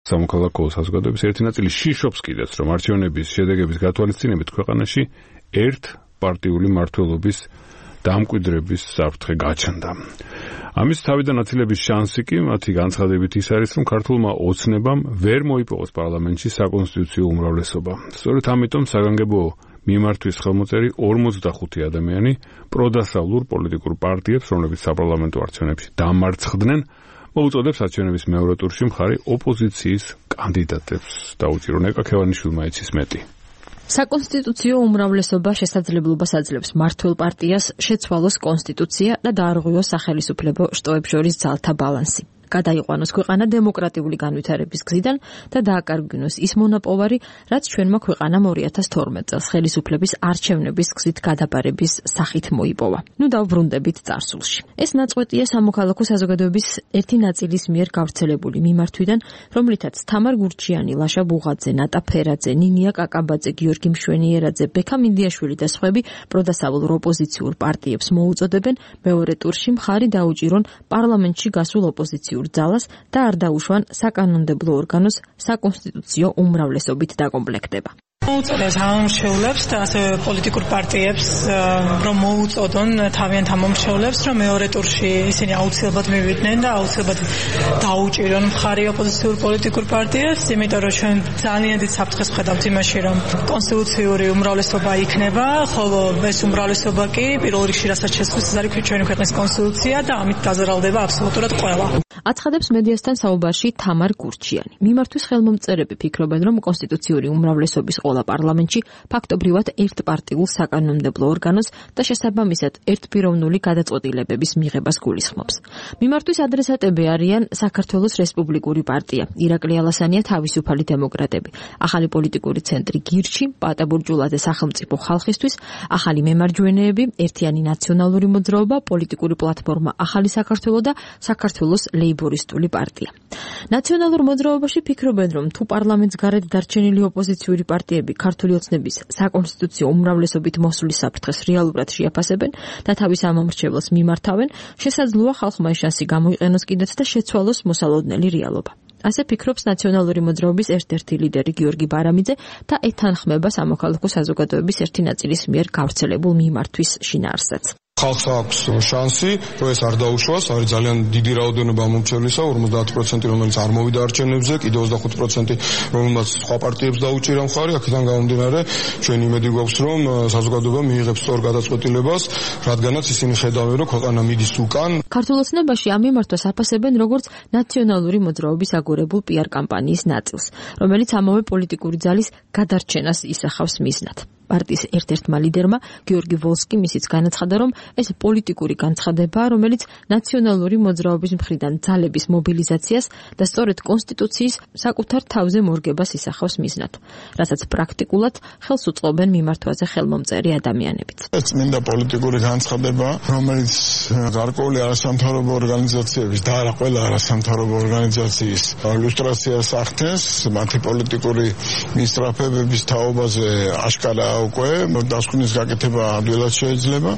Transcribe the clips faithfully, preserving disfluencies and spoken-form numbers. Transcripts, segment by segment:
სამოქალაქო საზოგადოების ერთი ნაწილი შიშობს კიდეც, რომ არჩევნების შედეგების გათვალისწინებით ქვეყანაში ერთ პარტიული მმართველობის დამკვიდრების საფრთხე გაჩნდა. ამის თავიდან აცილების შანსი კი მათი განცხადებით ის არის, რომ ქართულმა ოცნებამ ვერ მოიპოვოს პარლამენტში საკონსტიტუციო უმრავლესობა. სწორედ ამიტომ საგანგებო მიმართვის ხელმოწერი ორმოცდახუთი ადამიანი პროდასავლურ პოლიტიკურ პარტიებს, რომლებიც საპარლამენტო არჩევნებში დამარცხდნენ, მოუწოდებს არჩევნების მეორე ტურში მხარი ოპოზიციის კანდიდატებს. დაუჭირო ნეკა ქევანიშვილმა იცის მეტი. საკონსტიტუციო უმრავლესობა შესაძლებლობას აძლევს მმართველ პარტიას შეცვალოს კონსტიტუცია და დაარღვიოს სახელისუფლებო შტოებს შორის ძალთა ბალანსი. გადაიყვანოს ქვეყანა დემოკრატიული განვითარების გზიდან და დააკარგვინოს ის მონაპოვარი, რაც ჩვენმა ქვეყანამ ორი ათას თორმეტ წელს ხელისუფლების არჩევნების გზით გადაბარების სახით მოიპოვა. ნუ დავბრუნდებით წარსულში. ეს ნაწყვეტია სამოქალაქო საზოგადოების ერთი ნაწილის მიერ გავრცელებული მიმართვიდან, რომლითაც თამარ გურჩიანი, ლაშა ბუღაძე, ნატა ფერაძე, ნინია კაკაბაძე, გიორგი მშვენიერაძე, ბექა მინდიაშვილი და სხვები პროდასავლურ ოპოზიციურ პარტიებს მოუწოდებენ მეორე ტურში მხარი დაუჭირონ პარლამენტში გასულ ოპოზიციურ ძალას და არ დაუშვან საკანონმდებლო ორგანოს საკონსტიტუციო უმრავლესობით დაკომპლექტება. მოუწოდებს ამომრჩევლებს და ასევე პოლიტიკურ პარტიებს, რომ მოუწოდონ თავიანთ ამომრჩევლებს, რომ მეორე ტურში ისინი აუცილებლად მივიდნენ და აუცილებლად დაუჭირონ მხარი ოპოზიციურ პოლიტიკურ პარტიებს, იმიტომ რომ ჩვენ ძალიან დიდ საფრთხეს ვხედავთ იმაში, რომ კონსტიტუციური უმრავლესობა იქნება, ხოლო ეს უმრავლესობა კი პირველ რიგში რასაც შესწევს, ეს არის ჩვენი ქვეყნის კონსტიტუცია და ამით დაზარალდება აბსოლუტურად ყველა. აცხადებს მედიასთან საუბარში თამარ გურჩიანი. მიმართვის ხელმომწერები ფიქრობენ, რომ კონსტიტუციური უმრავლესობის ყველა პარლამენტში ფაქტობრივად ერთპარტიულ საკანონმდებლო ორგანოს და შესაბამისად ერთპიროვნული გადაწყვეტილებების მიღებას გულისხმობს. მიმართვის ადრესატები არიან საქართველოს რესპუბლიკური პარტია, ირაკლი ალასანია თავისუფალი დემოკრატები, ახალი პოლიტიკური ცენტრი გირჩი, პატა ბურჯულაძე სახელმწიფო ხალხისთვის, ახალი მემარჯვენეები, ერთიანი ნაციონალური მოძრაობა, პოლიტიკური პლატფორმა ახალი საქართველო და საქართველოს ლეიბორისტული პარტია. ნაციონალურ მოძრაობაში ფიქრობენ, რომ თუ პარლამენტს გარეთ დარჩენილი ოპოზიციური პარტიები ქართული ოცნების საკონსტიტუციო უმრავლესობით მოსulis საფრთხეს რეალურად შეაფასებენ და თავის ამომრჩევლს მიმართავენ, შესაძლოა ხალხმა ეს შანსი გამოიყენოს კიდეც და შეცვალოს მოსალოდნელი რეალობა. ასე ფიქრობს ნაციონალური მოძრაობის ერთ-ერთი ლიდერი გიორგი ბარამიძე და ეთანხმება სამოქალაქო საზოგადოების ერთი ნაწილის მიერ გავრცელებულ მიმართვის შინაარსსაც. ხალხს აქვს შანსი, რომ ეს არ დაუშვას, არის ძალიან დიდი რაოდენობა მომრჩევლისა, ორმოცდაათი პროცენტი, რომელიც არ მოვიდა არჩევნებზე, კიდევ ოცდახუთი პროცენტი, რომელმაც სხვა პარტიებს დაუჭირა მხარი, აქედან გამომდინარე, ჩვენ იმედი გვაქვს, რომ საზოგადოება მიიღებს სწორ გადაწყვეტილებას, რადგანაც ისინი ხედავენ, რომ ქვეყანა მიდის უკან. ქართულ ოცნებაში ამ მიმართვას აფასებენ როგორც ნაციონალური მოძრაობის აგორებულ პიარ კამპანიის ნაწილს, რომელიც ამავე პოლიტიკური ძალის გადარჩენას ისახავს მიზნად. პარტიის ერთ-ერთმა ლიდერმა გიორგი ვოლსკიმ ისიც განაცხადა, რომ ეს პოლიტიკური განცხადებაა, რომელიც ნაციონალური მოძრაობის მხრიდან ძალების მობილიზაციას და სწორედ კონსტიტუციის საკუთარ თავზე მორგებას ისახავს მიზნად, რასაც პრაქტიკულად ხელს უწყობენ მიმართვაზე ხელმომწერი ადამიანებიც. ეს წმინდა პოლიტიკური განცხადება, რომელიც გარკვეული არასამთავრობო ორგანიზაციების და არა ყველა არასამთავრობო ორგანიზაციის ილუსტრაციას ახდენს, მათი პოლიტიკური მისწრაფებების თაობაზე აშკარა უკვე დასკვნის გაკეთება ადვილად შეიძლება.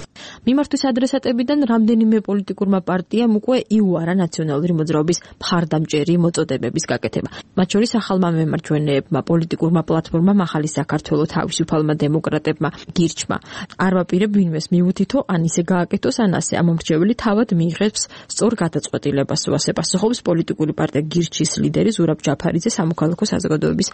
მიმართვის ადრესატებიდან რამდენიმე პოლიტიკურმა პარტიამ უკვე იუარა ნაციონალური მოძრაობის მხარდამჭერი მოწოდებების გაკეთება. მათ შორის ახალმა მემარჯვენეებმა, პოლიტიკურმა პლატფორმამ ახალი საქართველო, თავისუფალმა დემოკრატებმა, გირჩმა. არ ვაპირებ ვინმეს მიუთითო, ან ისე გააკეთოს, ან ასე ამომრჩეველი თავად მიიღებს სწორ გადაწყვეტილებას, ასე პასუხობს პოლიტიკური პარტია გირჩის ლიდერი ზურაბ ჯაფარიძე სამოქალაქო საზოგადოების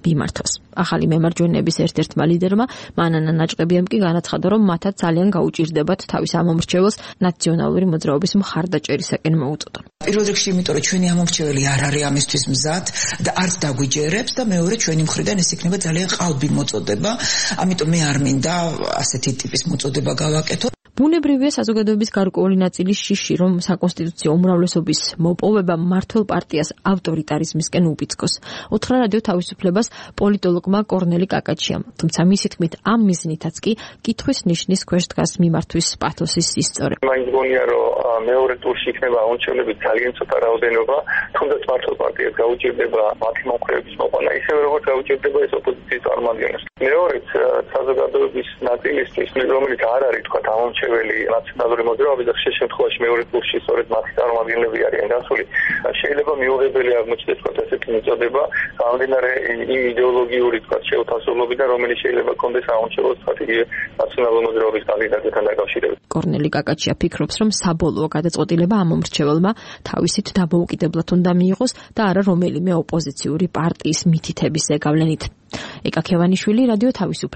მიმართვას. ახალი მემარჯვენეების ერთ-ერთმა ლიდერმა მანანა ნაჭყებიამ კი განაცხადა, რომ მათაც ძალიან გაუჭირდებათ თავის ამომრჩეველს ნაციონალური მოძრაობის მხარდაჭერისაკენ მოუწოდონ. პირველ რიგში, იმიტომ რომ ჩვენი ამომრჩეველი არ არის ამისთვის მზად და არც დაგვიჯერებს და მეორე ჩვენი მხრიდან ეს იქნება ძალიან ყალბი მოწოდება, ამიტომ მე არ მინდა ასეთი ტიპის მოწოდება გავაკეთო. ბუნებრივია საზოგადოების გარკვეული ნაწილის შიში, რომ საკონსტიტუციო უმრავლესობის მოპოვება მმართველ პარტიას ავტორიტარიზმისკენ უბიძგოს. უთხრა რადიო თავისუფლებას პოლიტოლოგმა კორნელი კაკაჩიამ, თუმცა მისი თქმით ამ მიზნითაც კი კითხვის ნიშნის ქვეშ დგას მიმართვის პათოსის სისწორე. მაინც გონია, რომ მეორე ტურში იქნება ამომრჩევლები ძალიან ცოტა რაოდენობა, თუნდაც მმართველ პარტიას გაუჭირდება მათი მომხრეების მოყვანა, ისევე როგორც გაუჭირდება ეს ოპოზიციის წარმომადგენლებს. მეორეც საზოგადოების ნაწილისთვის, რომელიც არ არის თქვა ამომრჩეველი დამოუკიდებელი ნაციონალური მოძრაობის და ხშირ შემთხვევაში მეორე ტურში სწორედ მათი წარმომადგენლები არიან გასული. შეიძლება მიუღებელი აღმოჩნდეს თქვა ესეთი მიწოდება გამომდინარე იმ იდეოლოგიური თქვა შეუთავსებლობიდან, რომელიც შეიძლება კონდეს აუნჩელოს სტრატეგია ნაციონალური მოძრაობის კანდიდატებთან დაკავშირებით. კორნელი კაკაჩია ფიქრობს, რომ საბოლოო გადაწყვეტილება ამ მომრჩეველმა თავისით დამოუკიდებლად უნდა მიიღოს და არა რომელიმე ოპოზიციური პარტიის მითითების ზეგავლენით. ეკა ქევანიშვილი, რადიო თავისუფლება.